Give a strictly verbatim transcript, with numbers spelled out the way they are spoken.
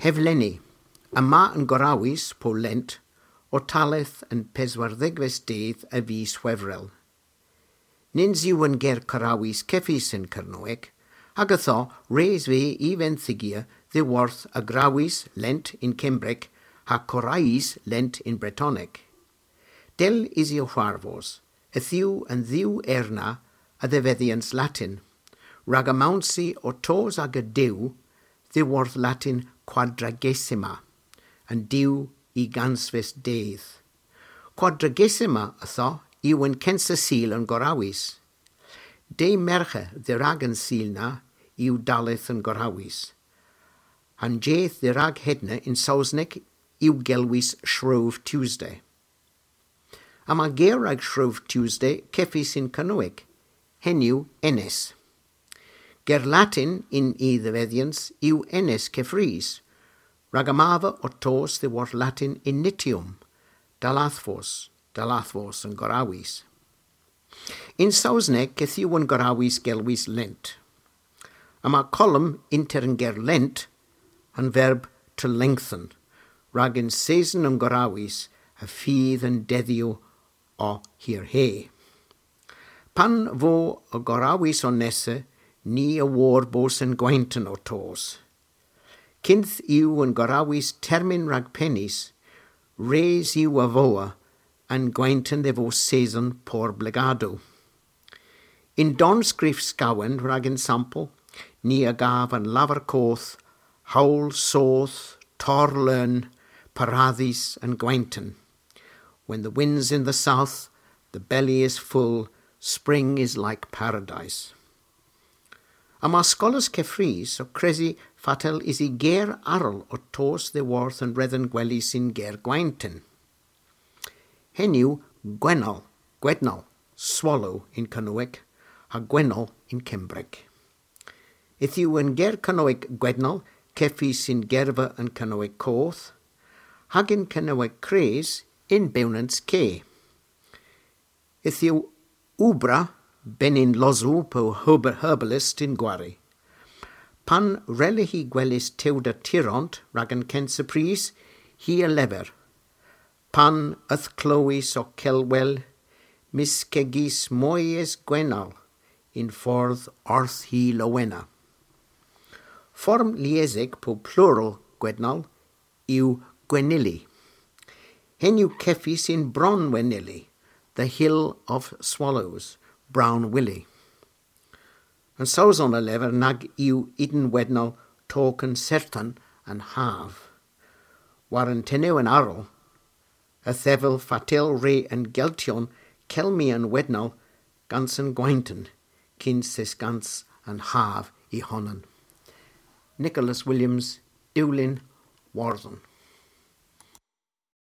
Evlenni. Yma an gorawys po Lent ow talleth an peswardhegves dydh a vis Hwevrel. Nyns yw an ger korawys kevys yn Kernewek, hag ytho res veu y venthygi dhyworth a grawys Lent yn Kembrek ha korays Lent yn Bretonek. Dell yw hwarvos, yth yw an dhiw erna a dhevedhyans Latin, rag amounsi ow tos aga dew dhyworth Latin quadragesima, an dew ugens dydh. Quadragesima ytho yw an kensa sul an gorawys. Dy' Mergher dherag an sul na yw dalleth an gorawys. An jydh dherag hedna yn Sowsnek yw gelwys Shrove Tuesday. Yma ger rag Shrove Tuesday kevys yn Kernewek, henn yw enys. Ger Latin yn y dhevedhyans yw enys keffrys, rag amava ow tos dhyworth Latin initium, dalladhvos, dalladhvos an gorawys. Yn Sowsnek yth yw an gorawys gelwys Lent. Yma kolom ynter an ger Lent ha'n verb to lengthen, rag an seson an gorawys a fydh an dedhyow ow hirhe. Pan vo an gorawys ow nessa, ni a wor bos an gwenton ow tos. Kynth yw an gorawys termyn rag penys, res yw a vowa an gwenton dhe vos seson por blegadow. Yn Dornskrif Skawen rag ensampel, ni a gav an lavar koth, howl soodh, torr leun, paradhis an gwenton. When the wind's in the south, the belly is full, spring is like paradise. Yma skolers keffrys ow kresi fatel usi ger arall ow tos dhyworth an redhen gwelys yn ger gwenton. Henn yw gwenal, gwednal, swallow yn Kernewek, ha gwenal yn Kembrek. Yth yw an ger Kernewek gwednal kevys yn gerva an Kernewek koth, hag yn Kernewek kres yn bewnans ke. Yth yw oubra benyn losow po herb-, herbalist yn gwari. Pan wrelli hi gweles tewda tiront rag an kensa prys, hi a lever. Pan yth klowis ow kelwel, myskegis moyhes gwenal yn fordh orth hy lowena. Form liesek po plural gwednal yw gwenili. Henn yw kevys yn Bron Wenili, the hill of swallows, brown willy. An Sowson a lever nag yw ynwedhel tok an sertan an hav. War an tenewen arall, a dhevel fatel re an Geltyon kelmi an wednel gans an gwenton, kyns es gans an hav y honan. Nicholas Williams, Dewlin, Wordhen.